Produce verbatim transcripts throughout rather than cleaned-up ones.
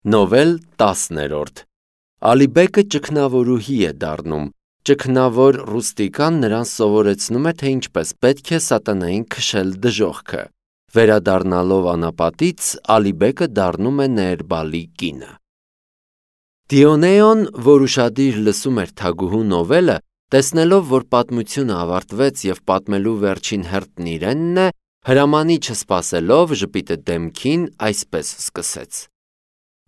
Նովել տասներորդ Ալիբեկը ճգնավորուհի է դառնում, ճգնավոր Ռուստիկան նրան սովորեցնում է, թե ինչպես պետք է սատանային քշել դժոխքը, վերադառնալով անապատից Ալիբեկը դառնում է Ներբալի կինը։ Դիոնեոն, որ ուշադիր լսում էր թագուհու նովելը, տեսնելով, որ պատմությունը ավարտվեց և պատմելու վերջին հերթն իրենն է, հրամանի չսպասելով ժպիտը դեմքին այսպես սկսեց.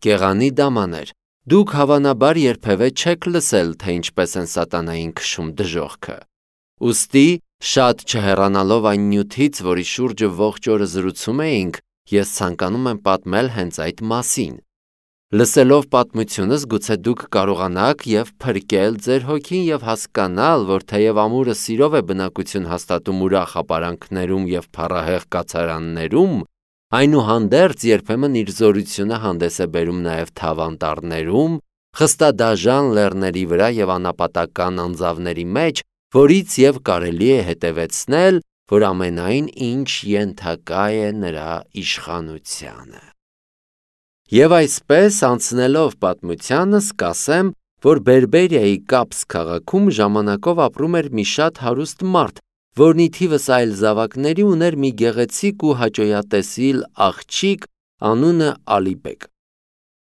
Գեղանի դամաներ, դուք հավանաբար երբևէ չեք լսել, թե ինչպես են սատանային քշում դժոխքը։ Ուստի, շատ չհեռանալով այն նյութից, որի շուրջը ողջ օրը զրուցում էինք, ես ցանկանում եմ պատմել հենց այդ մասին։ Լսելով պատմությունս, գուցե դուք կարողանաք և փրկել ձեր հոգին և հասկանալ, որ թեև ամուրը սիրով է բնակություն հաստատում ուրախ ապարանքներում և փառահեղ կացարաններում, այնուհանդերձ երբեմն իր զորությունը հանդես է բերում նաև թավանտառներում, խստադաժան լեռների վրա և անապատական անձավների մեջ, որից և կարելի է հետևեցնել, որ ամենայն ինչ ենթակա է նրա իշխանությանը։ Եվ այսպես, անցնելով պատմությանս, կասեմ, որ Բերբերիայի Կապս քաղաքում ժամանակով ապրում էր մի շատ հարուստ մարդ, որն ի թիվս այլ զավակների ուներ մի գեղեցիկ ու հաճոյատեսիլ աղջիկ, անունը Ալիբեկ։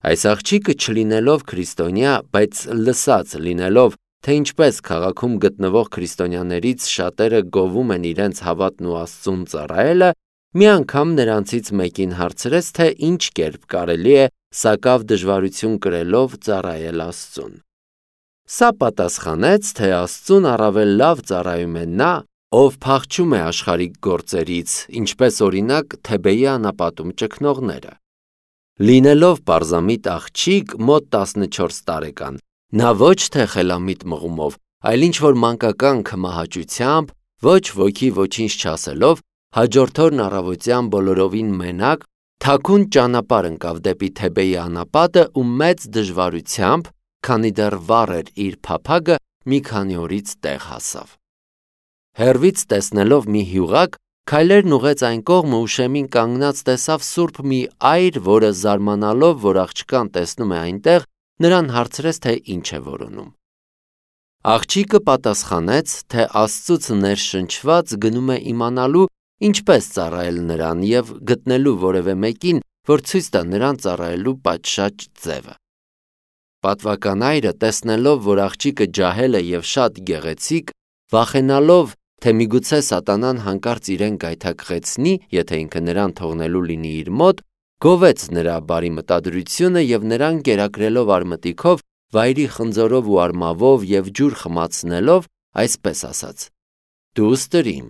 Այս աղջիկը չլինելով քրիստոնյա, բայց լսած լինելով, թե ինչպես քաղաքում գտնվող քրիստոնյաներից շատերը գովում են իրենց հավատն ու Աստծուն ծառայելը, մի անգամ նրանցից մեկին հարցրեց, թե ինչ կերպ կարելի է սակավ դժվարություն կրելով ծառայել Աստծուն։ Սա պատասխանեց, թե Աստծուն առավել լավ ծառայում է նա, ով փախչում է աշխարհիկ գործերից, ինչպես օրինակ Թեբեի անապատում ճգնողները։ Լինելով պարզամիտ աղջիկ, մոտ տասնչորս տարեկան, նա ոչ թե խելամիտ մղումով, այլ ինչ-որ մանկական քմահաճությամբ, ոչ ոքի ոչինչ չասելով, հաջորդ օրն առավոտյան բոլորովին մենակ, թաքուն ճանապարհ ընկավ դեպի Թեբեի անապատը ու մեծ դժվարությամբ, քանի դեռ վառ էր իր փափագը, մի քանի օրից տեղ հասավ։ Հեռվից տեսնելով մի հյուղակ, քայլերն ուղղեց այն կողմը ու շեմին կանգնած տեսավ սուրբ մի այր, որը զարմանալով, որ աղջկան տեսնում է այնտեղ, նրան հարցրեց, թե ինչ է որոնում։ Աղջիկը պատասխանեց, թե Աստծուց ներշնչված գնում է իմանալու, ինչպես ծառայել նրան և գտնելու որևէ մեկին, որ ցույց տա նրան ծառայելու պատշաճ ձևը։ Պատվական այրը, տեսնելով, որ աղջիկը ջահել է և շատ գեղեցիկ, վախենալով, թե միգուցե սատանան հանկարծ իրեն գայթակղեցնի, եթե ինքը նրան թողնելու լինի իր մոտ, գովեց նրա բարի մտադրությունը և նրան կերակրելով արմատիքով, վայրի խնձորով ու արմավով և ջուր խմացնելով, այսպես ասաց. «Դու ստրիմ,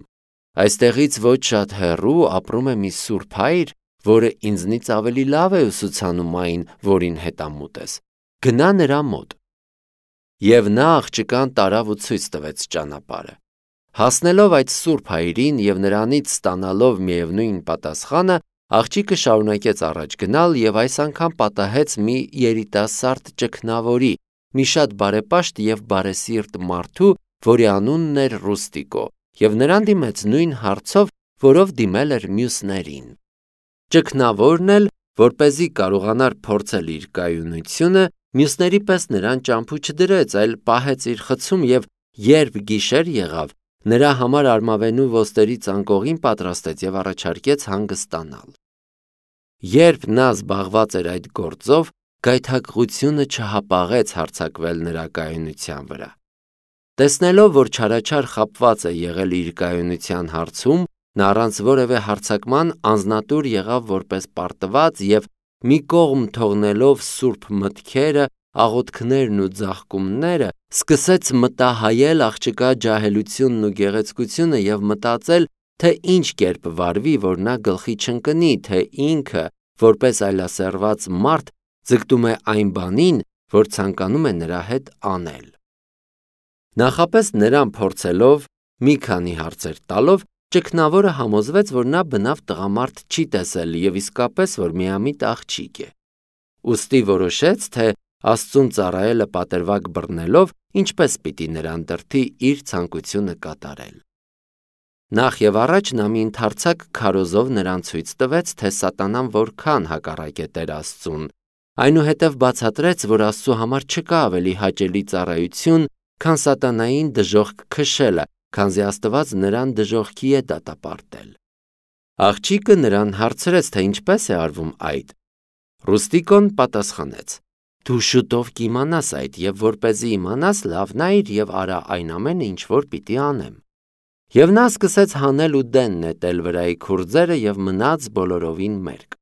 այստեղից ոչ շատ հեռու ապրում է մի սուրբ հայր, որը ինձնից ավելի լավ է ուսուցանում այն, որին հետամուտ ես, գնա նրա մոտ»։ Եվ նա աղջկան տարավ ու ցույց տվեց ճանապարհը։ Հասնելով այդ սուրբ հայրին և նրանից ստանալով միևնույն պատասխանը, աղջիկը շարունակեց առաջ գնալ և այս անգամ պատահեց մի երիտասարդ ճգնավորի, մի շատ բարեպաշտ և բարեսիրտ մարդու, որի անունն էր Ռուստիկո, և նրան դիմեց նույն հարցով, որով դիմել էր մյուսներին։ Ճգնավորն էլ, որպեսզի կարողանար փորձել իր կայունությունը, մյուսների պես նրան ճամփու չդրեց, այլ պահեց իր խցում և երբ գիշեր եղավ, նրա համար արմավենու ոսկերի ծանկողին պատրաստեց և առաջարկեց հանգստանալ։ Երբ նա զբաղված էր այդ գործով, գայթակղությունը չհապաղեց հարձակվել նրա կայունության վրա։ Տեսնելով, որ չարաչար խաբված է եղել իր կայունության հարցում, նա առանց որևէ հարձակման անձնատուր եղավ որպես պարտված և մի կողմ թողնելով սուրբ մտքերը, աղոթքներն ու ձաղկումները, սկսեց մտահայել աղջկա ջահելությունն ու գեղեցկությունը և մտածել, թե ինչ կերպ վարվի, որ նա գլխի չընկնի, թե ինքը, որպես այլասերված մարդ, ձգտում է այն բանին, որ ցանկանում է նրա հետ անել։ Նախապես նրան փորձելով, մի քանի հարցեր տալով, ճգնավորը համոզվեց, որ նա բնավ տղամարդ չի տեսել և իսկապես, որ միամիտ աղջիկ է։ Ուստի որոշեց, թե Աստծուն ծառայելը պատրվակ բռնելով, ինչպես պիտի նրան դրդի իր ցանկությունը կատարել։ Նախ և առաջ նա մի ընդարձակ քարոզով նրան ցույց տվեց, թե սատանան որքան հակառակ է Տեր Աստծուն, Այնուհետև բացատրեց, որ Աստծու համար չկա ավելի հաճելի ծառայություն, քան սատանային դժոխք քշելը, քանզի Աստված նրան դժոխքի է դատապարտել։ Աղջիկը նրան հարցրեց, թե ինչպես է արվում այդ։ Ռուստիկոն պատասխանեց. «Դու շուտով կիմանաս այդ, եւ որպեսզի իմանաս, լավ նայիր եւ արա այն ամենը, ինչ որ պիտի անեմ»։ Եվ նա սկսեց հանել ու դեն նետել վրայի քուրձերը եւ մնաց բոլորովին մերկ։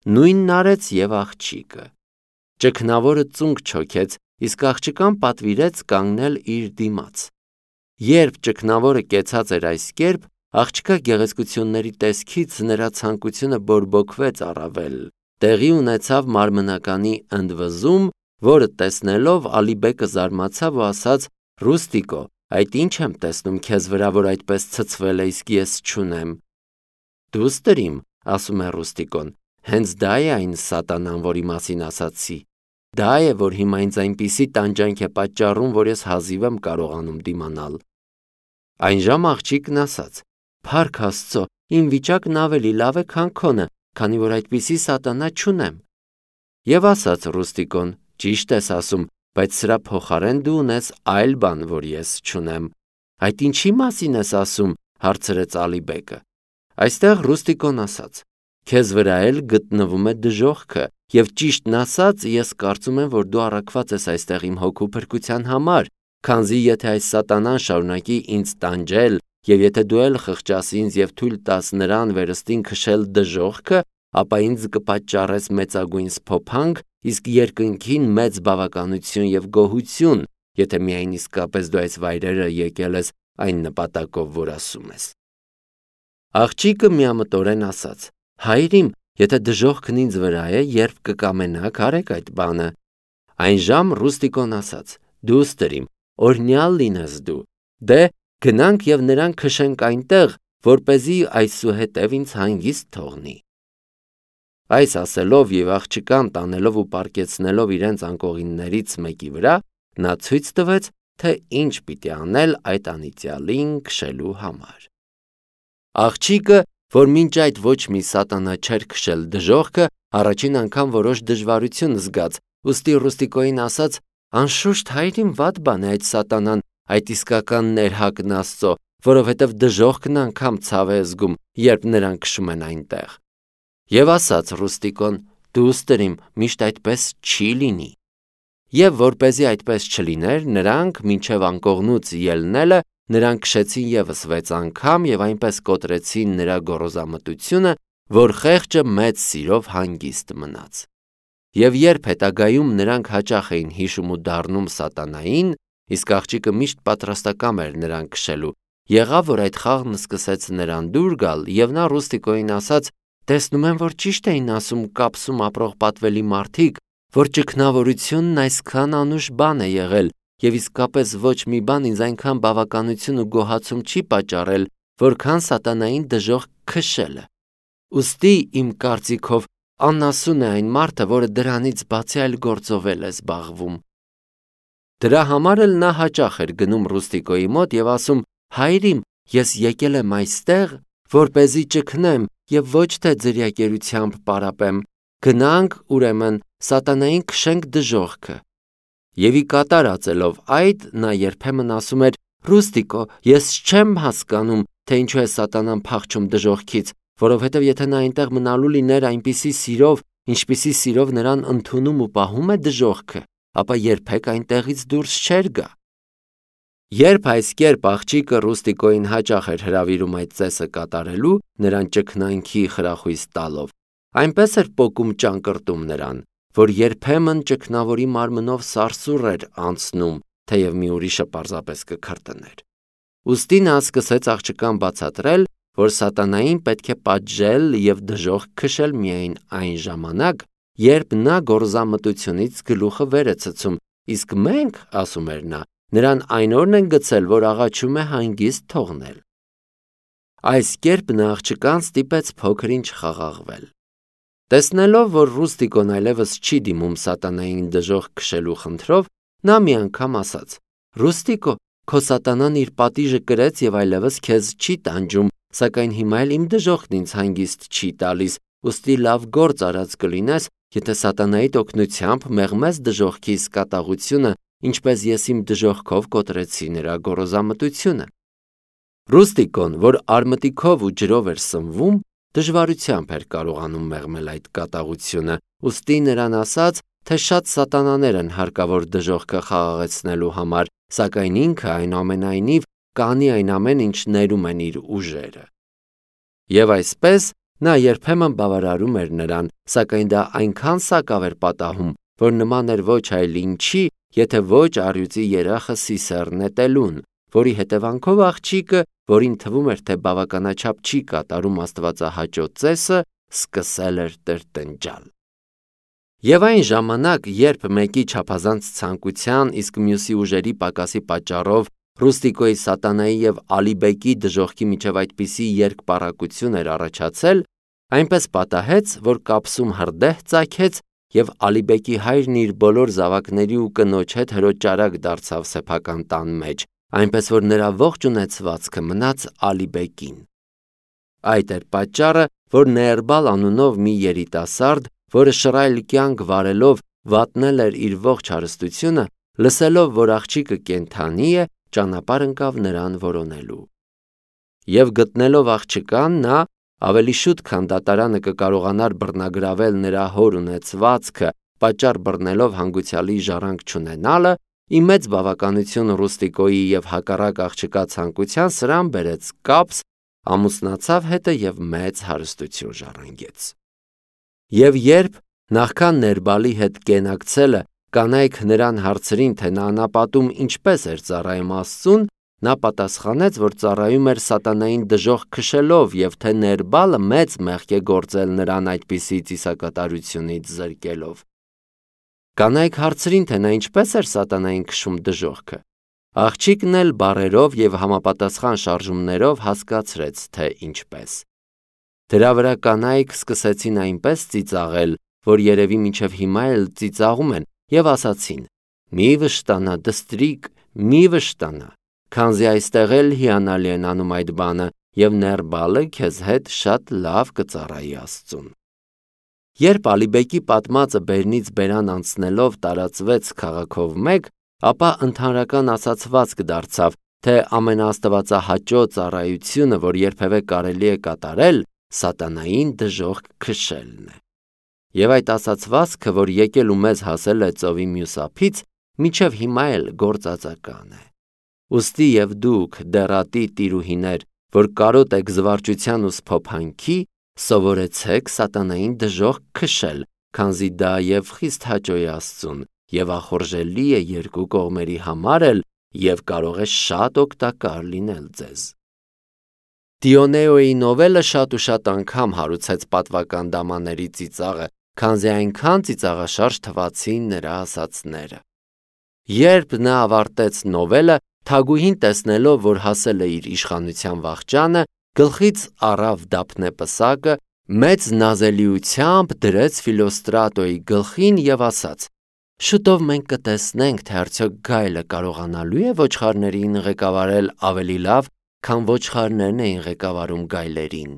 Նույնն արեց եւ աղջիկը։ Ճգնավորը ծունկ չոքեց, իսկ աղջկան պատվիրեց կանգնել իր դիմաց։ Երբ ճգնավորը կեցած էր այս կերպ, աղջկա գեղեցկությունների տեսքից նրա ցանկությունը բորբոքվեց առավել։ Տեղի ունեցավ մարմնականի ընդվզում, որը տեսնելով Ալիբեկը զարմացավ ու ասաց. «Ռուստիկո, այդ ինչ եմ տեսնում քեզ վրա, որ այդպես ցցվել է, իսկ ես չունեմ»։ «Դուստր իմ», ասում է Ռուստիկոն, «հենց դա է այն սատանան, որի մասին ասացի։ Դա է, որ հիմա ինձ այնպիսի տանջանք է պատճառում, որ ես հազիվ եմ կարողանում դիմանալ»։ Այնժամ աղջիկն ասաց. «Փառք Աստծո, իմ վիճակն ավելի լավ է, քան քոնը, քանի որ այդպիսի սատանա չունեմ»։ Եվ ասաց Ռուստիկոն. «Ճիշտ ես ասում, բայց սրա փոխարեն դու ունես այլ բան, որ ես չունեմ»։ «Այդ ինչի մասին ես ասում», հարցրեց Ալիբեկը։ Այստեղ Ռուստիկոն ասաց. «Քեզ վրա էլ գտնվում է դժոխքը, եւ ճիշտն ասած, ես կարծում եմ, որ դու առաքված ես այստեղ իմ հոգու փրկության համար, քանզի եթե այս սատանան շարունակի ինձ տանջել, եւ եթե դու էլ խղճաս ինձ եւ թույլ տաս նրան վերստին քշել դժոխքը, ապա ինձ կպատճառես մեծագույն սփոփանք, իսկ երկնքին մեծ բավականություն եւ գոհություն, եթե միայն իսկապես դու այս վայրերը եկել ես այն նպատակով, որ ասում ես»։ Աղջիկը միամտորեն ասաց. «Հայր իմ, եթե դժոխքն ինձ վրա է, երբ կկամենաք, արեք այդ բանը»։ Այնժամ Ռուստիկոն ասաց. «Դուստր իմ, օրհնյալ լինես դու։ Դե գնանք եւ նրան քշենք այնտեղ, որպեսզի այսուհետև ինձ հանգիստ թողնի»։ Այս ասելով եւ աղջկան տանելով ու պառկեցնելով իրենց անկողիններից մեկի վրա, նա ցույց տվեց, թե ինչ պիտի անել այդ անիծյալին քշելու համար։ Աղջիկը, որ մինչ այդ ոչ մի սատանա չէր քշել դժոխքը, առաջին անգամ որոշ դժվարություն զգաց, ուստի Ռուստիկոին ասաց. «Անշուշտ հայր իմ վատ բան է այդ սատանան, այդ իսկական ներհակն Աստծո, որովհետև դժոխքն անգամ ցավ է զգում, երբ նրան քշում են այնտեղ»։ Եվ ասաց Ռուստիկոն. «Դուստր իմ, միշտ այդպես չի լինի»։ Եվ որպեսզի այդպես չլիներ, նրանք մինչև անկողնուց ելնելը նրան քշեցին ևս վեց անգամ եւ այնպես կոտրեցին նրա գոռոզամտությունը, որ խեղճը մեծ սիրով հանգիստ մնաց։ Եվ երբ հետագայում նրանք հաճախ էին հիշում ու դառնում սատանային, իսկ աղջիկը միշտ պատրաստակամ էր նրան քշելու, եղավ, որ այդ խաղն սկսեց նրան դուր գալ, եւ նա Ռուստիկոին ասաց. «Տեսնում եմ, որ ճիշտ էին ասում կապսում ապրող պատվելի մարդիկ, որ ճգնավորությունն այսքան անուշ բան է եղել, եւ իսկապես ոչ մի բան ինձ այնքան բավականություն ու գոհացում չի պատճառել, որքան սատանային դժոխք քշելը։ Ուստի իմ կարծիքով անասուն է այն մարդը, որը դրանից բացի այլ գործով է զբաղվում»։ Դրա համար էլ նա հաճախ էր գնում Ռուստիկոյի մոտ եւ ասում. «Հայր իմ, ես եկել եմ այստեղ, որպեսզի ճգնեմ եւ ոչ թե ձրիակերությամբ պարապեմ։ Գնանք, ուրեմն, սատանային քշենք դժոխքը»։ Եվ ի կատար ածելով այդ, նա երբեմն ասում էր. «Ռուստիկո, ես չեմ հասկանում, թե ինչու է սատանան փախչում դժոխքից, որովհետև եթե նա այնտեղ մնալու լիներ այնպիսի սիրով, ինչպիսի սիրով նրան ընդունում ու պահում է դժոխքը, ապա երբեք այնտեղից դուրս չէր գա»։ Երբ այս կերպ աղջիկը Ռուստիկոին հաճախ էր հրավիրում այդ ծեսը կատարելու, նրան ճգնանքի խրախույս տալով, այնպես էր պոկում ճանկռտում նրան, որ երբեմն ճգնավորի մարմնով սարսուռ էր անցնում, թեև մի ուրիշը պարզապես կքրտներ։ Ուստի նա սկսեց աղջկան բացատրել, որ սատանային պետք է պատժել եւ դժոխք քշել միայն այն ժամանակ, երբ նա գոռոզամտությունից գլուխը վեր է ցցում, իսկ մենք, ասում էր նա, նրան այն օրն են գցել, որ աղաչում է հանգիստ թողնել։ Այս կերպ նա աղջկան ստիպեց փոքր-ինչ խաղաղվել։ Տեսնելով, որ Ռուստիկոն այլևս չի դիմում սատանային դժոխք քշելու խնդրով, նա մի անգամ ասաց. «Ռուստիկո, քո սատանան իր պատիժը կրեց եւ այլևս քեզ չի տանջում, սակայն հիմա էլ իմ դժոխքն ինձ հանգիստ չի տալիս, ուստի լավ գործ արած կլինես, եթե սատանայի օգնությամբ մեղմես դժոխքի սկատաղությունը, ինչպես ես իմ դժոխքով կոտրեցի նրա գոռոզամտությունը։ Ռուստիկոն, որ արմտիքով ու ջրով էր սնվում, դժվարությամբ էր կարողանում մեղմել այդ կատաղությունը, ուստի նրան ասաց, թե շատ սատանաներ են հարկավոր դժոխքը խաղաղեցնելու համար, սակայն ինքը այնուամենայնիվ կանի այն ամեն ինչ ներում են իր ուժերը։ Եվ այսպես նա երբեմն բավարարում էր նրան, սակայն դա այնքան սակավ էր պատահում, որ նման էր ոչ այլ ինչի, եթե ոչ առյուծի երախը սիսեռ նետելուն, որի հետևանքով աղջիկը, որին թվում էր, թե բավականաչափ չի կատարում աստվածահաճո ծեսը, սկսել էր տրտնջալ։ Եվ այն ժամանակ, երբ մեկի չափազանց ցանկության, իսկ մյուսի ուժերի պակասի պատճառով Ռուստիկոյի սատանայի և Ալիբեկի դժոխքի միջև այդպիսի երկպառակություն էր առաջացել, այնպես պատահեց, որ կապսում հրդեհ ծագեց և Ալիբեկի հայրն իր բոլոր զավակների ու կնոջ հետ հրոճարակ դարձավ սեփական տան մեջ, այնպես որ նրա ողջ ունեցվածքը մնաց Ալիբեկին։ Այդ էր պատճառը, որ Նեերբալ անունով մի երիտասարդ, որը շռայլ կյանք վարելով վատնել էր իր ողջ հարստությունը, լսելով, որ աղջիկը կենդանի է, ճանապարհ ընկավ նրան որոնելու։ Եվ գտնելով աղջկան, նա ավելի շուտ, քան դատարանը կկարողանար բռնագրավել նրա հոր ունեցվածքը, պատճառ բռնելով հանգուցյալի ժառանգ չունենալը, ի մեծ բավականություն Ռուստիկոյի և հակառակ աղջկա ցանկության սրան բերեց կապս, ամուսնացավ հետը և մեծ հարստություն ժառանգեց։ Եվ երբ նախքան Նեերբալի հետ կենակցելը կանայք նրան հարցրին, թե նա անապատում ինչպես էր ծառայում Աստծուն, նա պատասխանեց, որ ծառայում էր սատանային դժոխք քշելով և թե Նեերբալը մեծ մեղք է գործել նրան այդպիսի ծիսակատարությունից զրկելով։ Կանայք հարցրին, թե նա ինչպես էր սատանային քշում դժոխքը։ Աղջիկն էլ բառերով և համապատասխան շարժումներով հասկացրեց, թե ինչպես։ Դրա վրա կանայք սկսեցին այնպես ծիծաղել, որ երևի մինչև հիմա էլ ծիծաղում են, և ասացին. «Մի վշտանա, դստրիկ, մի վշտանա, քանզի այստեղ էլ հիանալի են անում այդ բանը, և Նեերբալը քեզ հետ շատ լավ կծառայի Աստծուն»։ Երբ Ալիբեկի պատմածը բերնից բերան անցնելով տարածվեց քաղաքով մեկ, ապա ընդհանրական ասացվածք դարձավ, թե ամենաաստվածահաճո ծառայությունը, որ երբևէ կարելի է կատարել, սատանային դժոխք քշելն է։ Եվ այդ ասացվածքը, որ եկել ու մեզ հասել է ծովի մյուս ափից, մինչև հիմա էլ գործածական է։ Ուստի և դուք, դեռատի տիրուհիներ, որ կարոտ եք զվարճության ու սփոփանքի, սովորեցեք սատանային դժոխք քշել, քանզի դա և խիստ հաճո է Աստծուն, և ախորժելի է երկու կողմերի համար էլ, և կարող է շատ օգտակար լինել ձեզ։ Դիոնեոյի նովելը շատ ու շատ անգամ հարուցեց պատվական դամաների ծիծաղը, քանզի այնքան ծիծաղաշարժ թվացին նրա ասածները։ Երբ նա ավարտեց նովելը, թագուհին տեսնելով, որ հասել է իր իշխանության վախճանը, գլխից առավ դափնե պսակը, մեծ նազելիությամբ դրեց Ֆիլոստրատոյի գլխին և ասաց. «Շուտով մենք կտեսնենք, թե արդյոք գայլը կարողանալու է ոչխարներին ղեկավարել ավելի լավ, քան ոչխարներն էին ղեկավարում գայլերին»։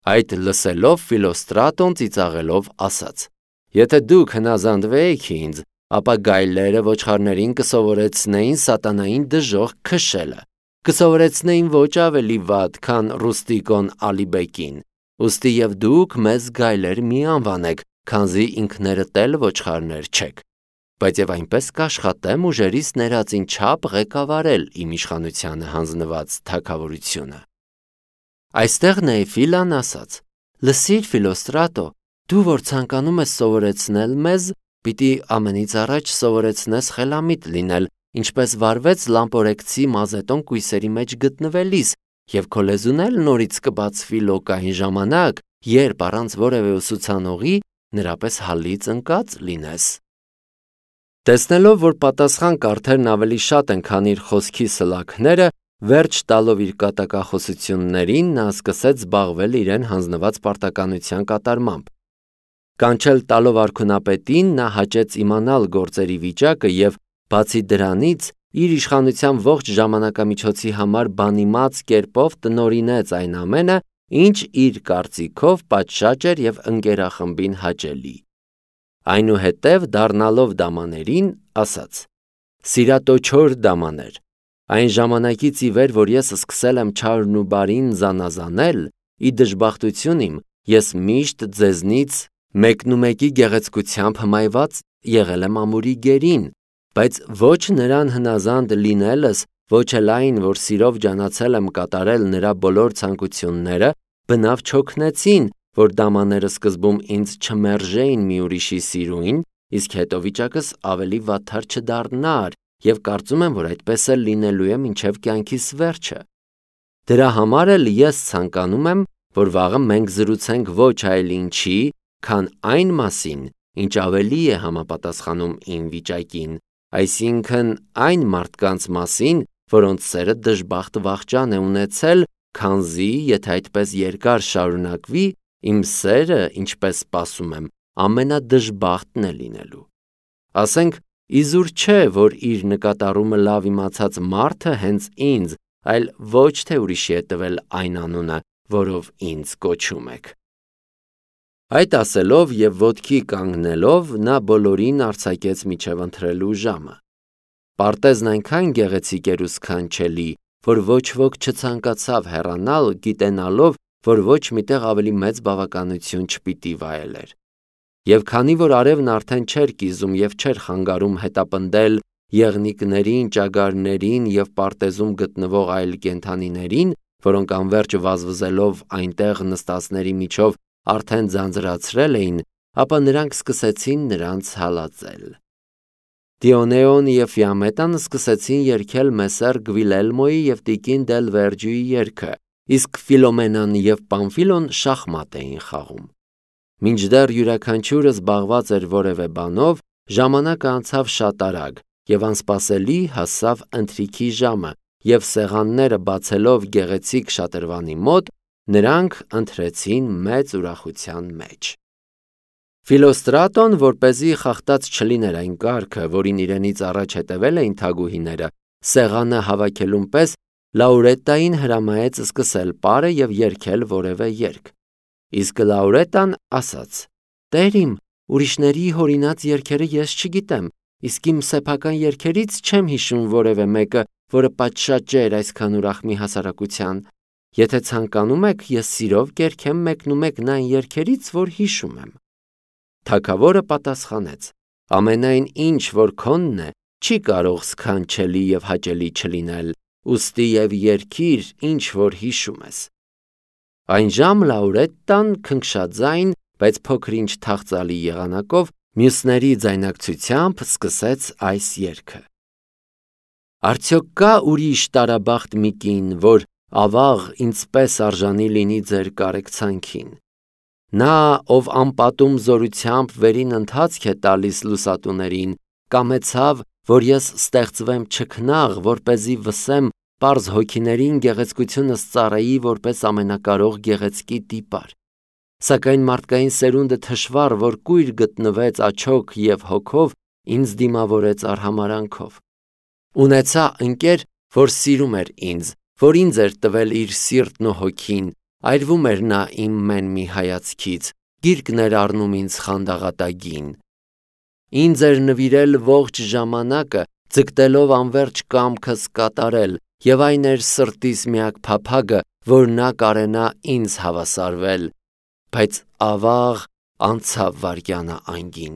Այդ լսելով Ֆիլոստրատոն ծիծաղելով ասաց. «Եթե դուք հնազանդվեիք ինձ, ապա գայլերը ոչխարներին կսովորեցնեին սատանային դժոխք քշելը, կսովորեցնեին ոչ ավելի վատ, քան Ռուստիկոն Ալիբեկին, ուստի և դուք մեզ գայլեր մի անվանեք, քանզի ինքներդ էլ ոչխարներ չեք, բայց և այնպես կաշխատեմ ուժերիս ներածին չափ ղեկավարել իմ իշխանությանը հանձնված թագավորությունը»։ Այստեղ Նեեֆիլան ասաց. «Լսիր, Ֆիլոստրատո, դու որ ցանկանում ես սովորեցնել մեզ, պիտի ամենից առաջ սովորեցնես խելամիտ լինել, ինչպես վարվեց Լամպորեկցի Մազետոն կույսերի մեջ գտնվելիս, և քո լեզուն էլ նորից կբացվի լոկային ժամանակ, երբ առանց որևէ ուսուցանողի նրա պես հալից ընկած լինես»։ Տեսնելով, որ պատասխան կարդերն ավելի շատ են, քան իր խոսքի սլաքները, վերջ տալով իր կատակախոսություններին, նա սկսեց զբաղվել իրեն հանձնված պարտականության կատարմամբ։ Կանչել տալով արքունապետին, նա հաճեց իմանալ գործերի վիճակը և, բացի դրանից, իր իշխանության ողջ ժամանակամիջոցի համար բանիմաց կերպով տնօրինեց այն ամենը, ինչ իր կարծիքով պատշաճ էր և ընկերախմբին հաճելի։ Այնուհետև դառնալով դամաներին, ասաց. «Սիրատոչոր դամաներ, այն ժամանակից ի վեր, որ ես սկսել եմ չարն ու բարին զանազանել, ի դժբախտություն իմ, ես միշտ ձեզնից մեկնումեկի գեղեցկությամբ հմայված եղել եմ ամուրի գերին, բայց ոչ նրան հնազանդ լինելս, ոչ էլ այն, որ սիրով ջանացել եմ կատարել նրա բոլոր ցանկությունները, բնավ չօգնեցին, որ դամաները սկզբում ինձ չմերժեին մի ուրիշի սիրուին, իսկ հետո վիճակս ավելի վատթար չդառնար, և կարծում եմ, որ այդպես էլ լինելու է մինչև կյանքիս վերջը։ Դրա համար էլ ես ցանկանում եմ, որ վաղը մենք զրուցենք ոչ այլ ինչի, քան այն մասին, ինչ ավելի է համապատասխանում իմ վիճակին, այսինքն այն մարդկանց մասին, որոնց սերը դժբախտ վախճան է ունեցել, քանզի, եթե այդպես երկար շարունակվի, իմ սերը, ինչպես սպասում եմ, ամենադժբախտն է լինելու։ Ասենք, իզուր չէ, որ իր նկատառումը լավ իմացած մարդը հենց ինձ, այլ ոչ թե ուրիշի է տվել այն անունը, որով ինձ կոչում եք։ Այդ ասելով և ոտքի կանգնելով, նա բոլորին արձակեց մինչև ընթրելու ժամը։ Պարտեզն այնքան գեղեցիկ էր ու սքանչելի, որ ոչ ոք չցանկացավ հեռանալ, գիտենալով, որ ոչ միտեղ ավելի մեծ բավականություն չպիտի վայելեր։ Եվ քանի որ արևն արդեն չէր կիզում և չէր խանգարում հետապնդել եղնիկներին, ճագարներին և պարտեզում գտնվող այլ կենդանիներին, որոնք անվերջ վազվզելով այնտեղ նստածների միջով արդեն ձանձրացրել էին, ապա նրանք սկսեցին նրանց հալածել։ Դիոնեոն և Ֆիամետան սկսեցին երգել Մեսեր Գվիլելմոյի և տիկին Դել Վերջուի երգը, իսկ Ֆիլոմենան և Պամֆիլոն շախմատ էին խաղում։ Մինչդեռ յուրաքանչյուրը զբաղված էր որևէ բանով, ժամանակը անցավ շատ արագ, և անսպասելի հասավ ընթրիքի ժամը, և սեղանները բացելով գեղեցիկ շատրվանի մոտ, նրանք ընթրեցին մեծ ուրախության մեջ։ Ֆիլոստրատոն, որպեսզի խախտած չլիներ այն կարգը, որին իրենից առաջ հետևել էին թագուհիները, սեղանը հավաքելուն պես Լաուրետտային հրամայեց սկսել պարը և երգել որևէ երգ։ Իսկ Լաուրետտան ասաց. «Տեր իմ, ուրիշների հորինած երգերը ես չգիտեմ, իսկ իմ սեփական երգերից չեմ հիշում որևէ մեկը, որը պատշաճ էր այսքան ուրախ մի հասարակության։ Եթե ցանկանում եք, ես սիրով կերգեմ մեկնումեկն այն երգերից, որ հիշում եմ»։ Թագավորը պատասխանեց. «Ամենայն ինչ, որ քոնն է, չի կարող սքանչելի և հաճելի չլինել, ուստի և երգիր, ինչ որ հիշում ես»։ Այնժամ Լաուրետտան քնքշաձայն, բայց փոքր-ինչ թախծալի եղանակով, մյուսների ձայնակցությամբ սկսեց այս երգը. Արդյոք կա ուրիշ տարաբախտ մի կին, որ ավաղ ինձպես արժանի լինի ձեր կարեկցանքին։ Նա, ով անպատում զորությամբ վերին ընթացք է տալիս լուսատուներին, կամեցավ, որ ես ստեղծվեմ չքնաղ, որպեսզի վսեմ պարզ հոգիներին գեղեցկությունս ծառայի որպես ամենակարող գեղեցկի տիպար։ Սակայն մարդկային սերունդը թշվառ, որ կույր գտնվեց աչոք և հոգով, ինձ դիմավորեց արհամարհանքով։ Ունեցա ընկեր, որ սիրում էր ինձ, որ ինձ էր տվել իր սիրտն ու հոգին, այրվում էր նա իմ մեն մի հայացքից, գիրկն էր առնում ինձ խանդաղատագին։ Ինձ էր նվիրել ողջ ժամանակը, ձգտելով անվերջ կամքս կատարել, և այն էր սրտիս միակ փափագը, որ նա կարենա ինձ հավասարվել, բայց ավաղ անցավ վայրկյանը անգին,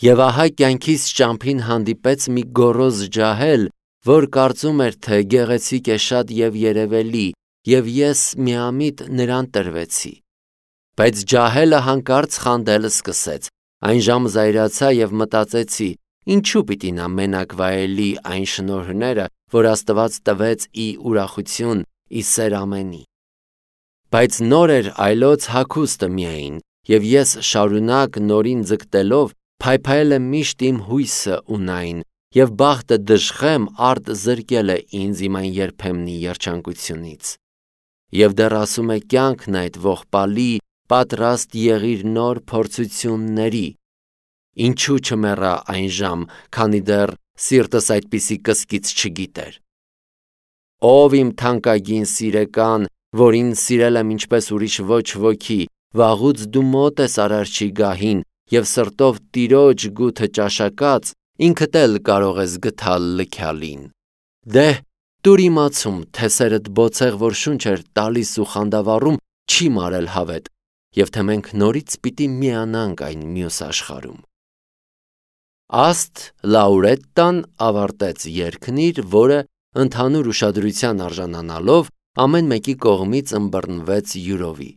և ահա կյանքիս ճամփին հանդիպեց մի գոռոզ ջահել, որ կարծում էր, թե գեղեցիկ է շատ և երևելի, և ես միամիտ նրան տրվեցի։ Բայց ջահելը հանկարծ խանդել սկսեց, այնժամ զայրացա և մտածեցի. ինչու պիտի նա մենակ վայելի այն շնորհները, որ Աստված տվեց ի ուրախություն, ի սեր ամենի։ Բայց նոր էր այլոց հագուստը միայն, և ես շարունակ նորին ձգտելով փայփայել եմ միշտ իմ հույսը ունայն, և բախտը դժխեմ արդ զրկել է ինձ իմ այն երբեմնի երջանկությունից։ Եվ դեռ ասում է կյանքն այդ ողբալի, պատրաստ եղիր նոր փորձությունների։ Ինչու չմեռա այն ժամ, քանի դեռ սիրտս այդպիսի կսկիծ չգիտեր։ Ով իմ թանկագին սիրեկան, որին սիրել եմ ինչպես ուրիշ ոչ ոքի, վաղուց դու մոտ ես Արարչի գահին, և սրտով Տիրոջ գութը ճաշակած, ինքդ էլ կարող ես գթալ լքյալին։ Դե՛հ, տուր իմացում, թե սերդ բոցեղ, որ շունչ էր տալիս ու խանդավառում, չի մարել հավետ, և թե մենք նորից պիտի միանանք այն մյուս աշխարհում։ Աստ Լաուրետտան ավարտեց երգն իր, որը ընդհանուր ուշադրության արժանանալով ամեն մեկի կողմից ըմբռնվեց յուրովի։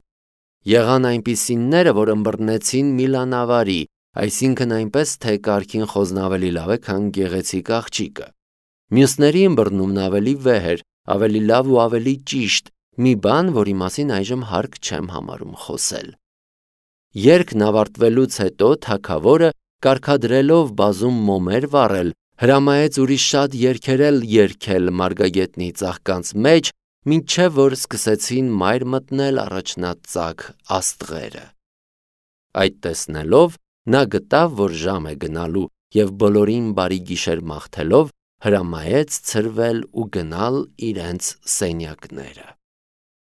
Եղան այնպիսինները, որ ըմբռնեցին միլանավարի, այսինքն այնպես, թե կարգին խոզն ավելի լավ է, քան գեղեցիկ աղջիկը։ Մյուսների ըմբռնումն ավելի վեհ էր, ավելի լավ ու ավելի ճիշտ, մի բան, որի մասին այժմ հարկ չեմ համարում խոսել։ Երգն ավարտվելուց հետո թագավորը, կարգադրելով բազում մոմեր վառել, հրամայեց ուրիշ շատ երգեր էլ երգել մարգագետնի ծաղկանց մեջ, մինչև որ սկսեցին մայր մտնել առաջնածագ աստղերը։ Այդ տեսնելով նա գտավ, որ ժամ է գնալու, և բոլորին բարի գիշեր մաղթելով հրամայեց ցրվել ու գնալ իրենց սենյակները։